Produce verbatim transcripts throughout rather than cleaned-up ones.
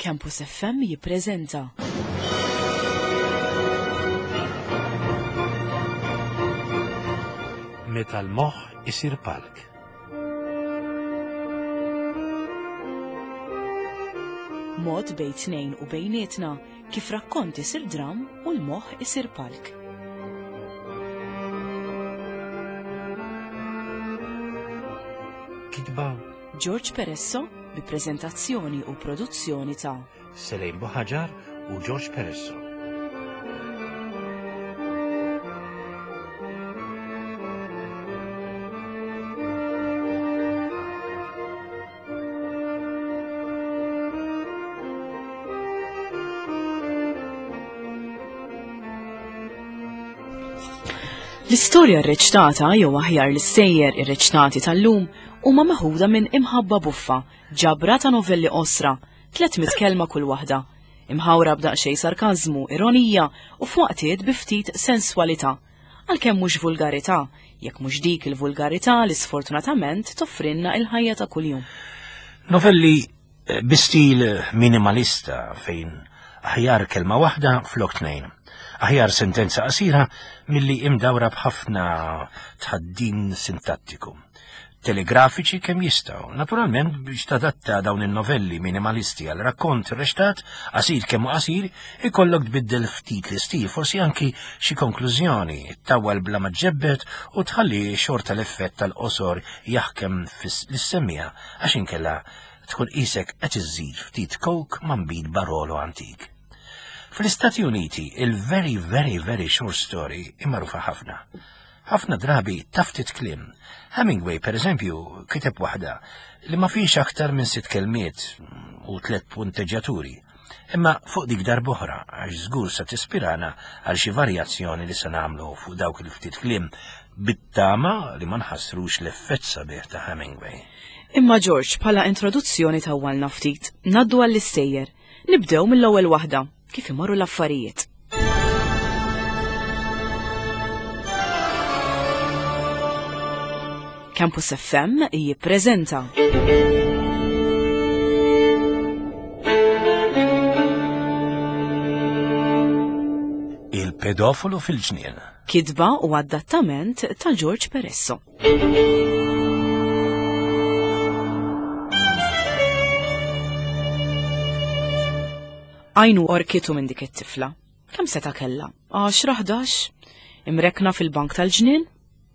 Campus F M jippreżenta Meta l-moħħ isir palk. Mod bejn tnejn u bejnietna kif rakkont isir dram u l-moħħ isir palk. Kitba George Peresso bi preżentazzjoni u produzzjoni ta' Selejn Buħaġar u George Peresso. L-istorja rreċtata jew aħjar l-istejjer irreċtati tal-lum huma meħuda minn Imħabba Buffa, ġabra ta' novelli qosra, tliet mitt kelma kull waħda, imħawra b'daqsxejn sarkażmu, ironija u f'waqtiet bi ftit senswalità, għalkemm mhux vulgarità, jekk mhux dik il-vulgarità li sfortunatament toffrinna il-ħajja ta' kuljum. Novelli bi stil minimalista fejn aħjar kelma waħda flok tnejn. Aħjar sentenza qasira milli imdawra b'ħafna tħaddin sintattiku. Telegrafiċi kemm jistgħu. Naturalment biex tadatta dawn in-novelli minimalisti għal rakkont rextat, qasir kemm hu qasir, ikollok tbiddel ftit l-istil, forsi anki xi konklużjoni, ttawwal bla ma ġġebbed u tħalli xorta l-effett tal-qosor jaħkem fis-semmija għax inkella tkun qisek qed iżżid ftit coke ma' nbid Barolo antik. Fl-Istati Uniti, il-very, very, very short story imagħrufa ħafna. Ħafna drabi taftit kliem. Hemingway, per eżempju, kiteb waħda li ma fiex aktar minn sitt kelmiet u tliet punteġġjaturi. Imma fuq dik darb'oħra, għax żgur se tispirana għal xi varjazzjoni li se nagħmlu fuq dawk il-ftit kliem bit-tama li ma nħassrux l-effett sabiħ ta' Hemingway. Imma George, bħala introduzzjoni tawwalna ftit, ngħaddu għall-istejjer. Nibdew mill-ewwel waħda, kif imorru l-affarijiet. Campus F M jippreżenta Il-pedofolu fil-ġnien. Kitba u adattament ta' George Peresso. Għajnu orkitu minn dik it-tifla. Kemm seta' kellha? Għaxra, ħdax? Imrekna fil-bank tal-ġnien?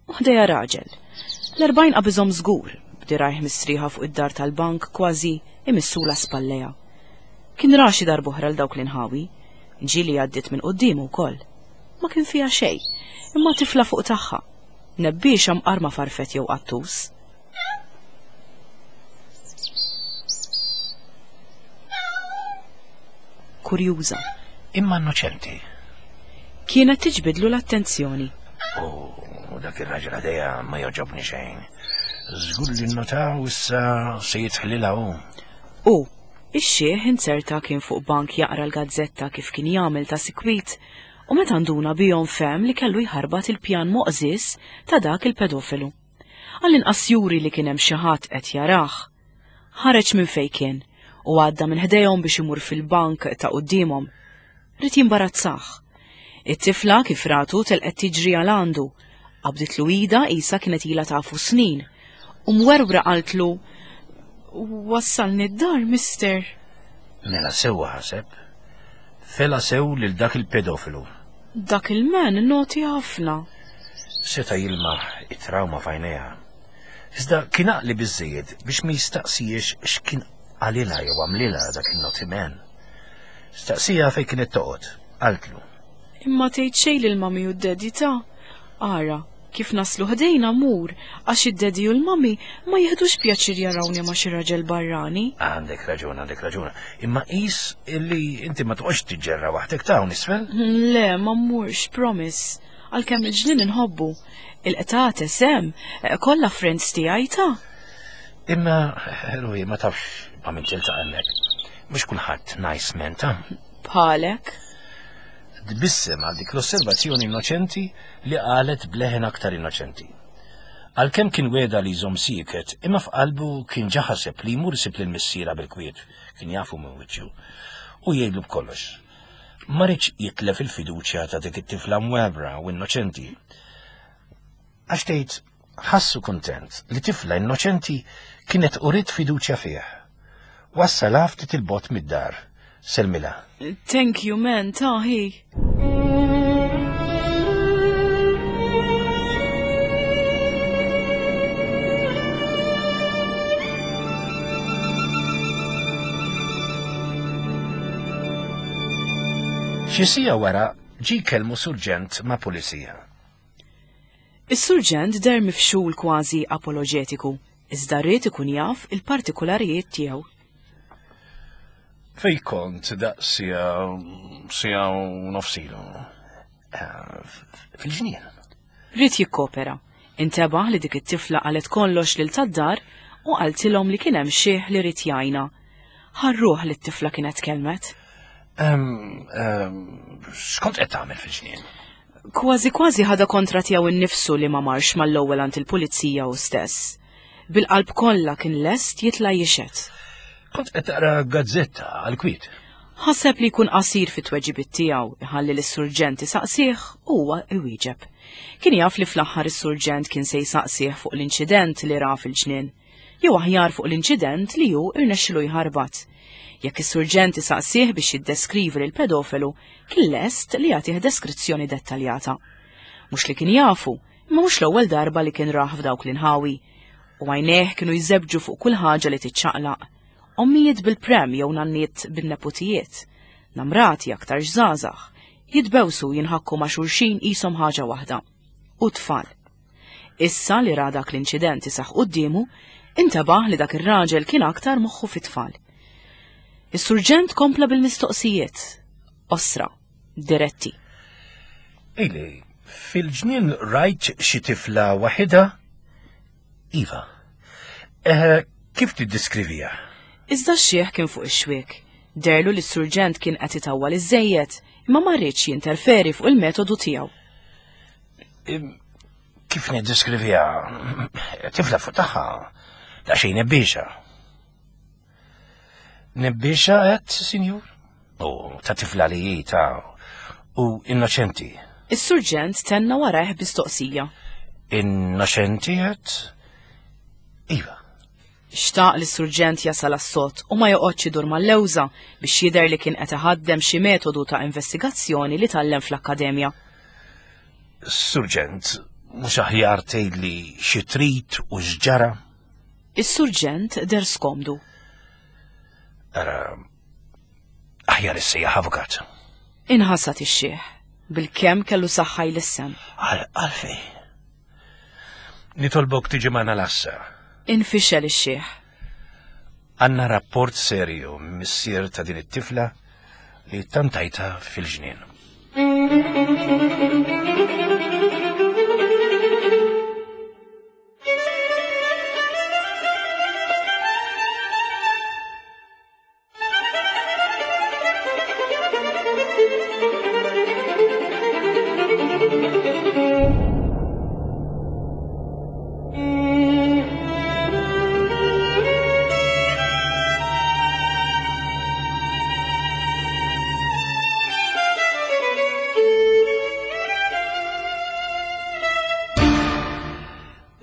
U ħdejha raġel. L-erbgħin qabiżhom żgur, b'dirajh mistrieħa fuq id-dar tal-bank kważi imissula spalleja. Kien ra xi darb'oħra l dawk l-inħawi, ġieli għaddiet minn quddiemu wkoll. Ma kien fiha xejn, imma tifla fuq tagħha. Nebbiexa mqarma farfet jew qattus. Kurjuża. Imma innoċenti. Kienet tiġbidlu l-attenzjoni. U dak ir-raġel għadeja ma joġobni xejn. Żgur li nnotaw issa se jitħlilha hu. U ix-xiħ inzerta kien fuq bank jaqra l-gazzetta kif kien jagħmel ta' sikwit u meta nduna bihom fehem li kellu jħarbat il-pjan moqżis ta' dak il-pedofilu. Għall-inqas juri li kien hemm xi ħadd qed jarah. Ħareġ minn fejn kien u għadda minn ħdejhom biex imur fil-bank ta' quddiemhom. Ried jimbarazzah. It-tifla kif ratu telqet tiġri għal għandu. Qabditlu ida qisha kienet ilha tafu snin. U mwerwra qaltlu, Wassalni d-dar, mister. Mela sewwa ħaseb. Fela sew lil dak il-pedofilu. Dak il-men noti ħafna. Seta' jilmaħ it-trauma f'għajnejha. Iżda kien għaqli biżżejjed biex ma jistaqsijiex x'kien qalilha jew għamlilha dak il-naughty man. Staqsija fejn kienet toqgħod, qaltlu. Imma tgħid xejn lil mami u d-daddy ta'. Ara, kif naslu ħdejna mur, għax id-daddy u l-mami ma jieħdux pjaċir jarawni ma' xi raġel barrani. Għandek raġun, għandek raġun. Imma qis illi inti ma toqgħodx tiġġerra waħdek ta' hawn isfel? Le, ma mmurx, promise. Għalkemm il-ġnien inħobbu. Il-qtates hemm, kollha friends tiegħi ta'. Imma, Ruhi, ma tafx ma' min tiltaqa' hemmhekk. Mhux kulħadd nice man ta'. Bħalek. Tbissem għal dik l-osservazzjoni innoċenti li qalet bleħen aktar innoċenti. Għalkemm kien wegħda li jżomm sieket, imma f'qalbu kien ġa ħaseb li jmur isib lil missierha bil-kwiet, kien jafu minn wiċċu, u jgħidlu b'kollox. Ma riedx jitlef il-fiduċja ta' dik it-tifla mwebra u innoċenti. Għax tgħid ħassu kuntent li tifla innoċenti kienet uriet fiduċja fih. Wassalha ftit 'il bogħod mid-dar. Sellmilha. Thank you, man, taħi. Xi siegħa wara ġie jkellmu surġent ma' pulizija. Is-surġent deher mifxul kważi apoloġetiku, iżda ried ikun jaf il-partikularijiet tiegħu. Fej kont daqs siegħa siegħa u nofs ilu? Fil-ġnien. Ried jikkopera. Intebaħ li dik it-tifla qalet kollox lil tad-dar u qaltilhom li kien hemm xiħ li ried jgħinha. Ħarruh li t-tifla kienet kelmet. X'kont qed tagħmel fil-ġnien? Kważi kważi ħadha kontra tiegħu nnifsu li ma marx mal-ewwel għand il-pulizija hu stess. Bil-qalb kollha kien lest jitla' jixhed. Kont qed taqra gazzetta għall-kwiet. Ħaseb li jkun qasir fit-tweġibiet tiegħu, iħalli lis-surġent isaqsih u huwa iwieġeb. Kien jaf li fl-aħħar is-surġent kien se jsaqsih fuq l-inċident li ra fil-ġnien, jew aħjar fuq l-inċident li hu irnexxilu jħarbat. Jekk is-surġent isaqsih biex jiddeskrivi lil pedofelu, kien lest li jagħtih deskrizzjoni dettaljata. Mhux li kien jafu, imma mhux l-ewwel darba li kien rah f'dawk l-inħawi. U għajnejh kienu jżebġu fuq kull ħaġa li tiċċaqlaq. Ommijiet bil-prem jew nanniet bin-neputijiet, namrati aktar żgħażagħ, jitbewsu jinħakku ma' xulxin qishom ħaġa waħda. U tfal. Issa li ra dak l-inċident isaħ quddiemu, intabaħ li dak ir-raġel kien aktar moħħu fit-tfal. Is-surġent kompla bil-mistoqsijiet, osra, diretti. Ejli, fil-ġnien rajt xi tifla waħida? Iva. Eh, kif tiddeskrivija? Iżda x-xiħ kien fuq ix-xwiek. Derlu li s-surġent kien qed itawwal iżżejjed, imma ma rridx jinterferi fuq il-metodu tiegħu. Kif niddeskrivija? Tifla fuq tagħha, daqsxejn nebbiexa. Nebbiexa qed, sinjur? U ta' tifla li hi ta' u innoċenti. Is-surġent tenna warajh bistoqsija. Innoċenti qed? Iva. Xtaq li s-surġent jasal għas-sod u ma joqgħodx idur mal-lewża biex jidher li kien qed iħaddem xi metodu ta' investigazzjoni li tgħallem fl-akkademja. Surġent, mhux aħjar tgħidli xi trid u x'ġara? Is-surġent der skomdu. Ara, aħjar issejjaħ avukat. Inħasad ix-xiħ, bil-kemm kellu saħħa jlissem. Għalfej. Nitolbok tiġi magħna l-assa. Infixel ix-xiħ. Għandna rapport serju missier ta' din it-tifla li tantajta fil-ġnien.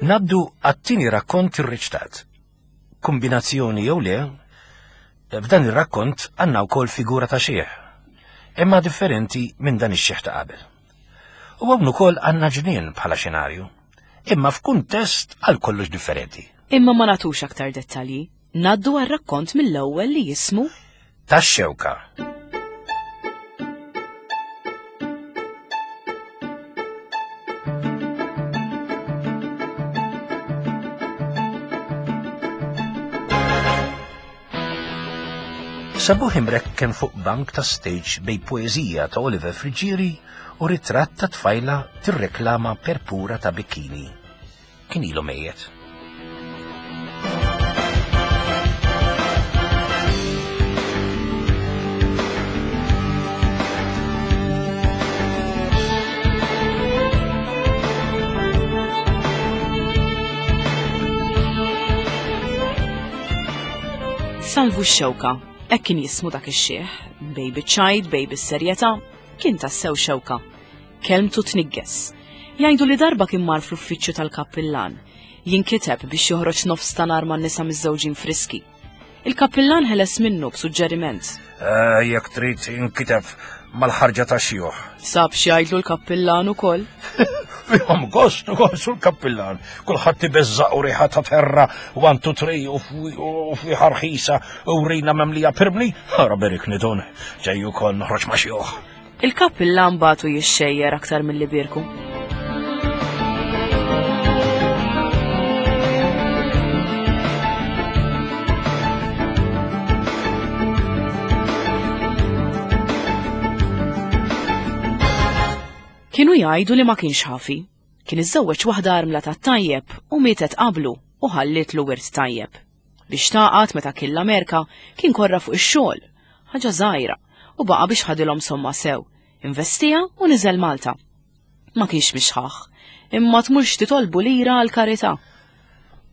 Naddu għat-tieni rakkont irriċtat. Kombinazzjoni jew le, f'dan ir-rakkont għandna wkoll figura ta' xiħ, imma differenti minn dan ix-xiħ ta' qabel. U hawn ukoll għandna ġnien bħala xenarju, imma f'kuntest għal kollox differenti. Imma ma nagħtux aktar dettalji. Naddu għar-rakkont mill-ewwel li jismu Tax-xewka. Sabuħ imrekken fuq bank ta' stage bej poezija ta' Oliver Friggieri u ritratt ta' tfajla tirreklama perpura ta' bikini. Kien ilu mejjet. Salvu x-Xewka, hekk kien jismu dak ix-xiħ, bej biċ-ċajt, bej bis-serjetà, kien tassew xewka. Kelmtu tnigges. Jgħidu li darba kien mar fl-uffiċċju tal-kappillan. Jinkiteb biex joħroġ nofs ta' nar man-nisa miżżewġin friski. Il-kappillan ħeles minnu b'suġġeriment. Eh, jekk trid inkiteb mal-ħarġa ta' xjuħ. Sab x'jgħidlu l-kappillan ukoll. Fihom gost ukoll sul kappillan. Kulħadd ibeżżaq u riħa ta' terra, one two three u fwiħa rħisa u rina memlija pirmli. Ara berikni dun, ġej ukoll noħroġ ma' xjuħ. Il-kappillan bagħtu jixxejjer aktar milli birku. Kienu jgħidu li ma kienx ħafi. Kien iżżewweġ waħda armla tat-tajjeb u mietet qablu u ħallietlu wirt tajjeb. Biex taqgħad meta kien l-Amerika kien korra fuq ix-xogħol, ħaġa żgħira, u baqa' biex ħadilhom somma sew. Investiha u niżel Malta. Ma kienx mixħaħ, imma tmurx titolbu lira għal karità.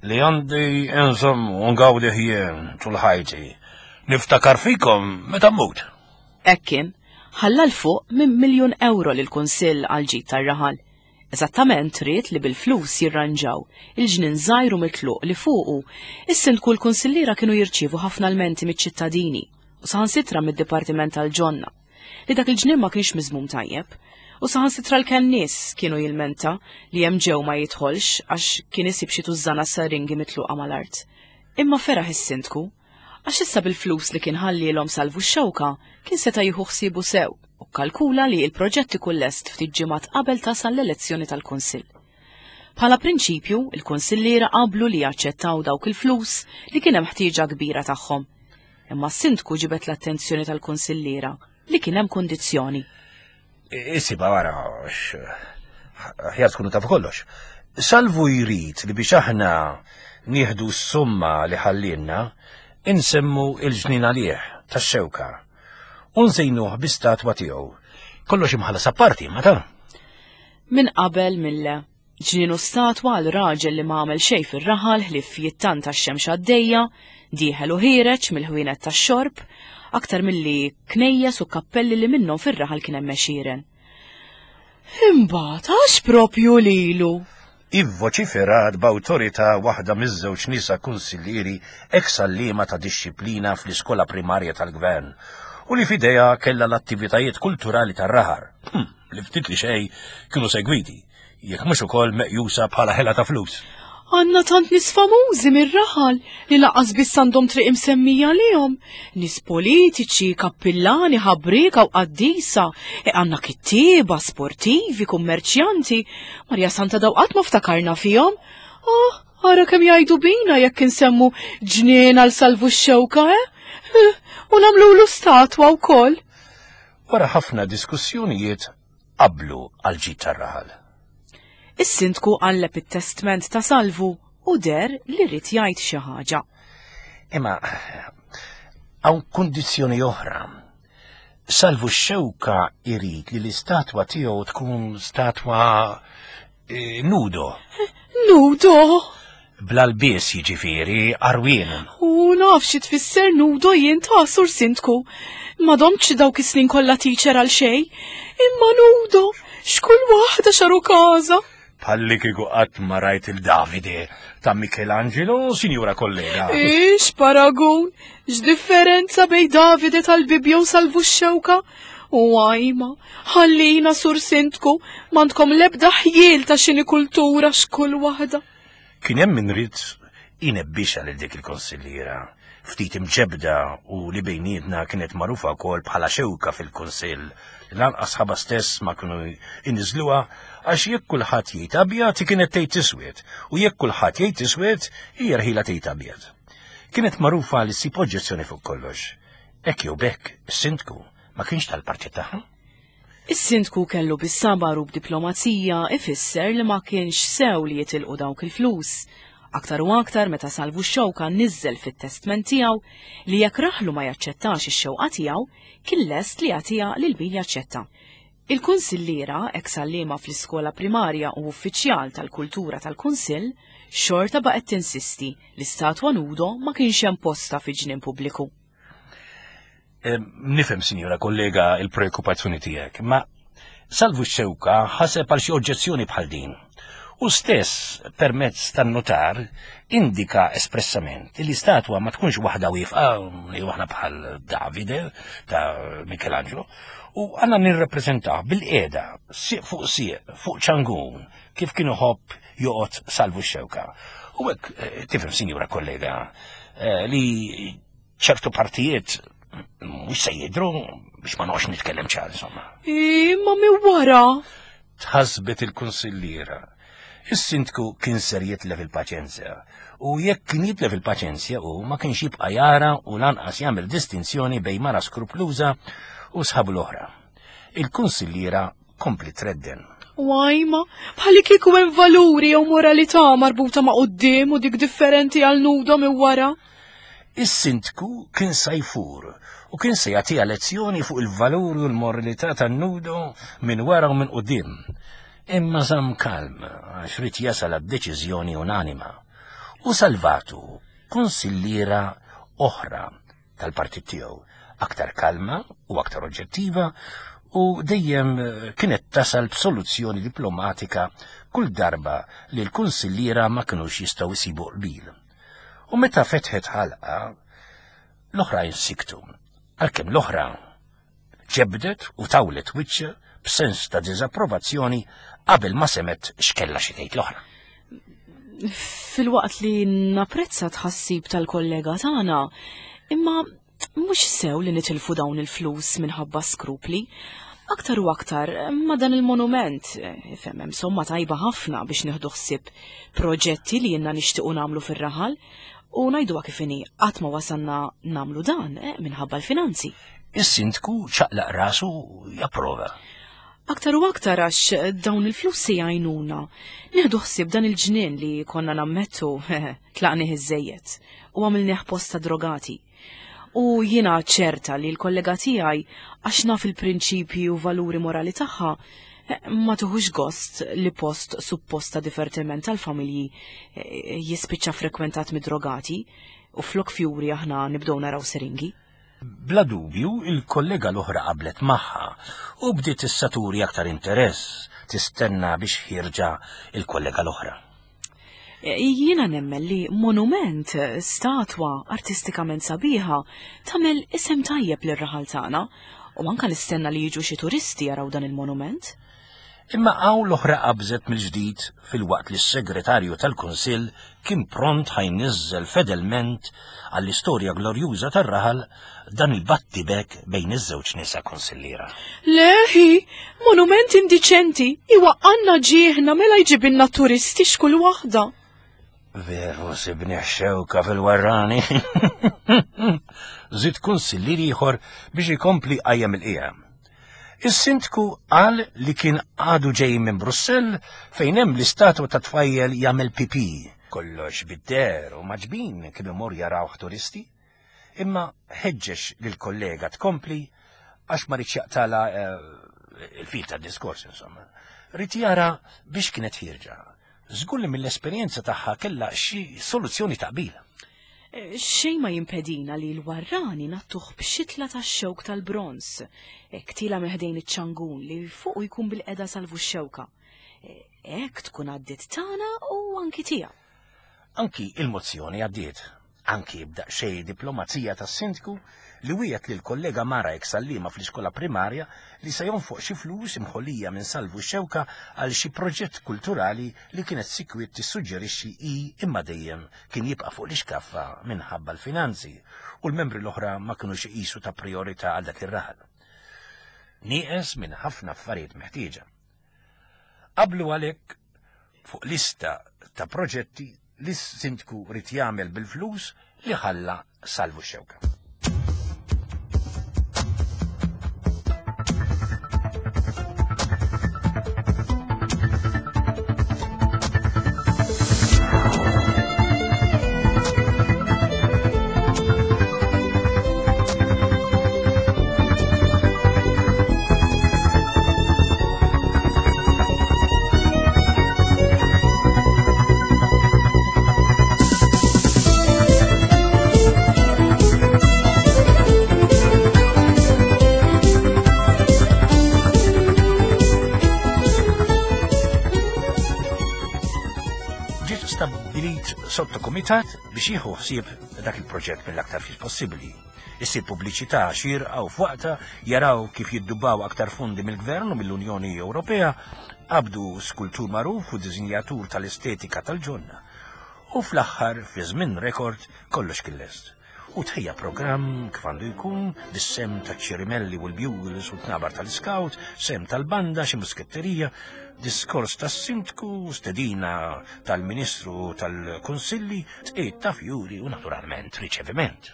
Li għandi inżomm u ngawdi ħjien tul ħajti. Niftakar fikom meta mmut. Hekk kien, ħalla 'l fuq minn miljun euro lill-Kunsill għal ġid tar-raħal. Eżattament ried li bil-flus jirranġaw il-ġnien żgħir u mitluq li fuqu is-sindku l-kunsilliera kienu jirċievu ħafna lmenti miċ-ċittadini u saħansitra mid-Dipartiment tal-Ġonna li dak il-ġnien ma kienx miżmum tajjeb u saħansitra l-kennies kienu jilmenta li hemm ġew ma jidħolx għax kien isib xi tużżana saringi mitluqa mal-art. Imma feraħ is-sindku għax issa bil-flus li kien ħallielhom Salvu x-Xewka kien seta' jieħu ħsiebu sew u kkalkula li l-proġett ikun lest ftit ġimgħat qabel tasal l-elezzjoni tal-Kunsill. Bħala prinċipju, il-kunsilliera qablu li jaċċettaw dawk il-flus li kien hemm ħtieġa kbira tagħhom. Imma s-sindku ġibet l-attenzjoni tal-kunsilliera li kien hemm kundizzjoni. Isiba wara, aħjar tkunu tafu kollox. Salvu jrid li biex aħna nieħdu s-somma li ħallielna, insemmu il-ġnien għalih tax-xewka u nżejnuh bi statwa tiegħu. Kollox imħallas apparti, ma ta' Min qabel mille. Ġnien u statwa għal raġel li ma għamel xejn fir-raħal ħlief jittanta x-xemx għaddejja, dieħel u ħiereġ mill-ħwienet tax-xorb, aktar milli knejjes u kappelli li minnhom fir-raħal kien hemm għexieren. Imbagħad għax propju lilu? Ivvoċiferat b'awtorità waħda miż-żewġ nisa kunsillieri ex għalliema ta' dixxiplina fl-iskola primarja tal-gvern u li f'idejha kellha l-attivitajiet kulturali tar-raħar, li ftit li xejn kienu segwiti, jekk mhux ukoll meqjusa bħala ħela ta' flus. Għandna tant nies famużi mir-raħal li lanqas biss għandhom triq imsemmija lihom. Nies politiċi, kappillani, ħabrieka u qaddisa, e għandna kittieba, sportivi, kummerċjanti. Marja Santa daw qatt ma ftakarna fihom. Oh, ara kemm jgħidu bina jekk insemmu ġnien għal Salvu x-Xewka, eh? U nagħmlulu statwa wkoll. Wara ħafna diskussjonijiet qablu għal ġid tar-raħal. Is-sindku qalleb it-testment ta' Salvu u der li rrid jgħid xi ħaġa. Imma hawn kundizzjoni oħra. Salvu x-Xewka jrid li l-istatwa tiegħu tkun statwa eh, nudo. Nudo? Bla lbies jiġifieri għarwien. U naf xi tfisser nudo jien ta' sur sindku. Ma domtx dawk is-snin kollha teacher għal xejn. Imma nudo, x'kull waħda xaru każa. Palli kieku qatt ma rajt il-Davide ta' Michelangelo, sinjura kollega. Ix paragun, x'differenza bej Davide tal-Bibbja u Salvu x-Xewka? U għajma, ħallina sur sindku, m'għandkom l-ebda ħjiel ta' xini kultura x'kull waħda. Kien hemm min ried inebbixha lil dik il-konsilliera, ftit imġebda u li bejnietna kienet magħrufa wkoll bħala xewka fil-kunsill, li lanqas ħaba stess ma kienu iniżluha għax jekk kulħadd jgħid abjad hi kienet tgħid iswed u jekk kulħadd jgħid iswed hija rħila tgħid abjad. Kienet magħrufa li ssib oġġezzjoni fuq kollox. Hekk jew b'hekk, is-sindku ma kienx tal-partit tagħha. Is-sindku kellu bis-sabar u b'diplomazija ifisser li ma kienx sew li jitilqu dawk il-flus. Aktar u aktar meta Salvu x-Xewka niżel fit-testment tiegħu li jekk raħlu ma jaċċettax ix-xewqa tiegħu, kien lest li jagħtiha lil min jaċċetta. Il-kunsilliera, ex-għalliema fl-iskola primarja u uffiċjal tal-kultura tal-Kunsill, xorta baqgħet tinsisti li statwa nudo ma kienx hemm posta fi ġnien pubbliku. Nifhem, sinjura kollega, il-preokkupazzjoni tiegħek, ma Salvu x-Xewka ħaseb għal xi oġġezzjoni bħal din. U stess, permezz tan-notar, indika espressament li statwa ma tkunx waħda wieqfa, li waħda bħal Davide ta' Michelangelo, u għandna nirrappreżentaw bil-qiegħda, sieq fuq sieq, fuq ċangun, kif kien iħobb joqgħod Salvu x-Xewka. U hekk tifhem, sinjura kollega, li ċertu partijiet mhux se jidhru biex ma noqgħodx nitkellem ċar, insomma. Imma minn wara! Tħassbet il-kunsilliera. Is-sindku kien ser jitlef il-paċenzja, u jekk kien jitlef il-paċenzja u ma kienx jibqa' jara u lanqas jagħmel distinzjoni bejn mara skrupluża u sħabu l-oħra. Il-kunsilliera kompli tredden. Wajma, bħalli kieku hemm valuri jew moralità marbuta ma' quddiem u dik differenti għal nudo minn wara. Is-sindku kien se jfur u kien se jagħtiha lezzjoni fuq il-valuri u l-moralità tan-nudo minn wara u minn quddiem. Imma żamm kalm għax rid jasal għad-deċiżjoni unanima. U salvatu kunsilliera oħra tal-partit tiegħu, aktar kalma u aktar oġġettiva, u dejjem kienet tasal b'soluzzjoni diplomatika kull darba li l-kunsilliera ma kinux jistgħu jsibu qbil. U meta fetħet ħalqa, l-oħrajn siktu, għalkemm l-oħra ġebdet u tawlet wiċċha b'sens ta' diżapprovazzjoni qabel ma semet x'kellha xi tgħid l-oħra. Filwaqt li napprezza tħassib tal-kollega tagħna, imma mhux sew li nitilfu dawn il-flus minħabba skrupli. Aktar u aktar ma dan il-monument, ifhem hemm somma tajba ħafna biex nieħdu ħsieb proġetti li jenna nixtiequ nagħmlu fir-raħal, u ngħiduha kif inhi qatt ma wasalna nagħmlu dan eh, minħabba l-finanzi. Is-sindku ċaqlaq rasu japprova. Aktar u aktar għax dawn il-flus se jgħinuna. Nieħdu ħsieb dan il-ġnien li konna nammettu tlaqnih iż-żejjed u għamilnieh posta drogati. U jiena ċerta li l-kollega tiegħi għax naf il-prinċipji u valuri morali tagħha ma tuħux gost li post supposta divertiment tal-familji jispiċċa frekwentat mid-drogati u flok fjuri aħna nibdew naraw seringi. Bla dubju, il-kollega l-oħra qablet magħha u bdiet issa turi aktar interess tistenna biex ħirġa il-kollega l-oħra. Jiena nemmen li monument, statwa artistikament sabiħa, tagħmel isem tajjeb lir-raħal tagħna u anke nistenna li jiġu xi turisti jaraw dan il-monument. Imma hawn l-oħra qabżet mill-ġdid filwaqt li s-segretarju tal-Kunsill kien pront ħajniżżel fedelment għall-istorja glorjuża tar-raħal dan il-battibek bejn iż-żewġ nisa kunsilliera. Leħi, monument indiċenti, iwaqqanna ġieħna mela jġibilna turisti x'kull waħda. Veru sibni xewka fil-warrani. Żid kunsillier ieħor biex ikompli qajjem il-qiegħ. Is-sindku qal li kien għadu ġej minn Brussell fejn hemm l-istatwa ta' tfajjel jagħmel pipi. Kollox bid-der u maġbin kien imur jarawh turisti. Imma ħeġġeġ lill-kollega tkompli għax ma ridx jaqtala il-fil tad-diskors, insomma. Rid jara biex kienet ħierġa. Żgur li mill-esperjenza tagħha kellha xi soluzzjoni taqbil. Xejn ma jimpedina li l-warrani nattuh b'xitla tax-xewk tal-bronz, ktila meħdejn iċ-ċangun li fuq jkun bil-qeda Salvu x-Xewka. Hekk tkun għaddiet tagħna u anki tiegħu. Anki il-mozzjoni għaddiet, anki b'daqsxejn diplomazija tas-sindku li wiegħed lil kollega Mara ex-għalliema fl-iskola primarja li se jonfoq xi flus imħollija minn Salvu x-Xewka għal xi proġett kulturali li kienet sikwit tissuġġerixxi hi imma dejjem kien jibqa' fuq l-ixkaffa minħabba l-finanzi u l-membri l-oħra ma kinux iqisu ta' priorità għal dak ir-raħal. Nieqes minn ħafna affarijiet meħtieġa. Qablu għalhekk fuq lista ta' proġetti li s-sindku rid jagħmel bil-flus li ħalla Salvu x-Xewka. sottokumitat biex jieħu ħsieb dak il-proġett mill-aktar fis possibbli. Issir pubbliċità xierqa u f'waqtha, jaraw kif jiddubbaw aktar fondi mill-Gvern u mill-Unjoni Ewropea, qabdu skultur magħruf u disinjatur tal-estetika tal-ġonna. U fl-aħħar, fi żmien rekord, kollox kien lest. U tħejja programm kif għandu jkun, bis-sehem taċ-ċirimelli u l-bugles u t-tnabar tal-scout, sehem tal-banda, xi musketterija, diskors tas-sindku, stedina tal-ministru tal-kunsilli, tqiegħid ta' fjuri u naturalment riċeviment.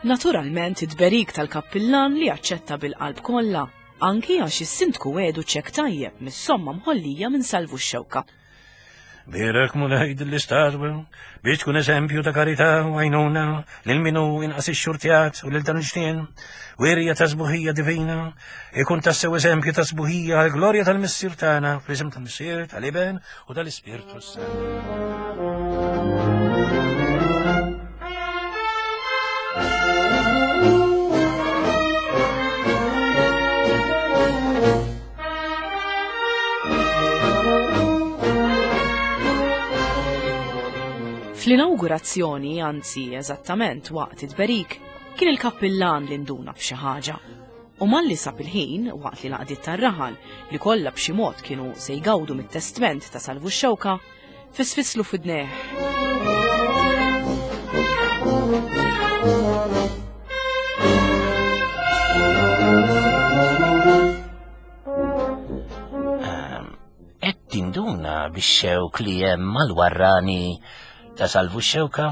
Naturalment id-berik tal-kappillan li aċċetta bil-qalb kollha, anki għax is-sindku għedu ċek tajjeb mis-somma mħollija minn Salvu x-Xewka. Bierek Mulej din l-istatwa biex tkun eżempju ta' karità u għajnuna lil min hu inqas ixxurtjat u lil dan il-ġnien, wirja ta' sbuħija divina, ikun tassew eżempju ta' sbuħija għall-glorja tal-Missier tagħna, fl-isem tal-Missier, tal-Iben u tal-Ispirtu s-Santu. Fl-inawgurazzjoni, anzi eżattament waqt it-tberik, kien il-kappillan li nduna b'xi ħaġa. U malli sab il-ħin, waqt li l-għaqdiet tar-raħal li kollha b'xi mod kienu se jgawdu mit-testment ta' Salvu x-Xewka, fisfislu f'idnejh. Ehm, qed tinduna bix-xewk li hemm mal-warrani ta' Salvu x-Xewka?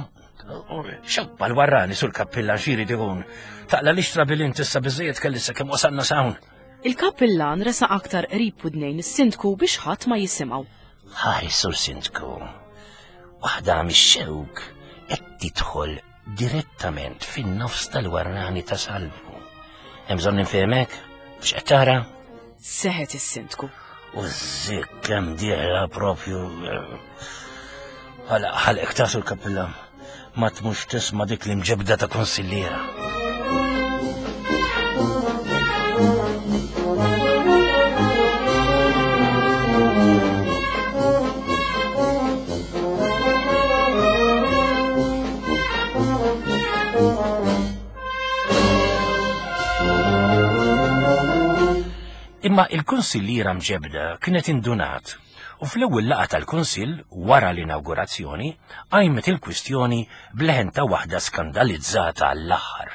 Xewk mal-warrani sur kappillan xiri ikun. Taqla l-ixtra bil-int issa biżejjed kelli sakemm wasalna s'hawn. Il-kappillan resaq aktar qrib widnejn is-sindku biex ħadd ma jisimgħu. Ħares sur sindku, waħda mix-xewk qed tidħol direttament fin-nofs tal-warrani ta' Salvu. Hemm bżonn nifhmek x'qed tara? Seħet is-sindku. U ż-żikk kemm dieħla propju Għala ħalqek ta' sur kappillan, ma tmux tisma' dik l-imġebda ta' konsilliera. Imma il-konsilliera mġebda kienet indunat u fl-ewwel laqgħa tal-Kunsill wara l-inawgurazzjoni qajmet il-kwistjoni b'leħen ta' waħda skandalizzata għall-aħħar.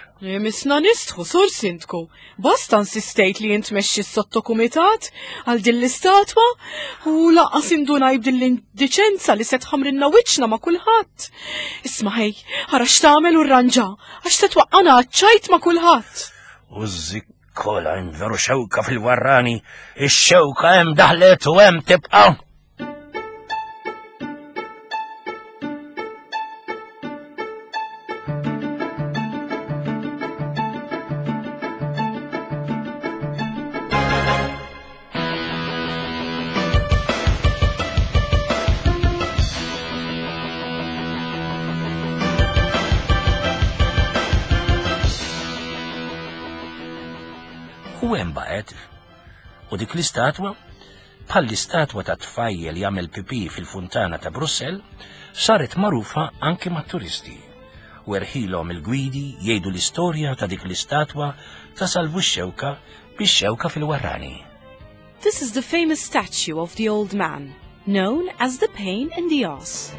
Misna nistħu, sur sindku. Bosta insistejt li int tmexxi s-sottokumitat għal din l-istatwa u lanqas indunaj b'din l-indiċenza li se tħamrinna wiċċna ma' kulħadd. Isma' ħej, ara x'tagħmel u rranġa għax se twaqqana ċajt ma' kulħadd. U ż-żikkola hemm veru xewka fil-warrani, ix-xewka hemm daħlet u hemm tibqa'. U hemm baqgħet. U dik l-istatwa, bħal l-istatwa ta' tfajjel jagħmel pipi fil-funtana ta' Brussell, saret magħrufa anke mat-turisti. U erħilhom il-gwidi jgħidu l-istorja ta' dik l-istatwa ta' Salvu x-Xewka bix-xewka fil-warrani. This is the famous statue of the old man, known as the pain in the ass.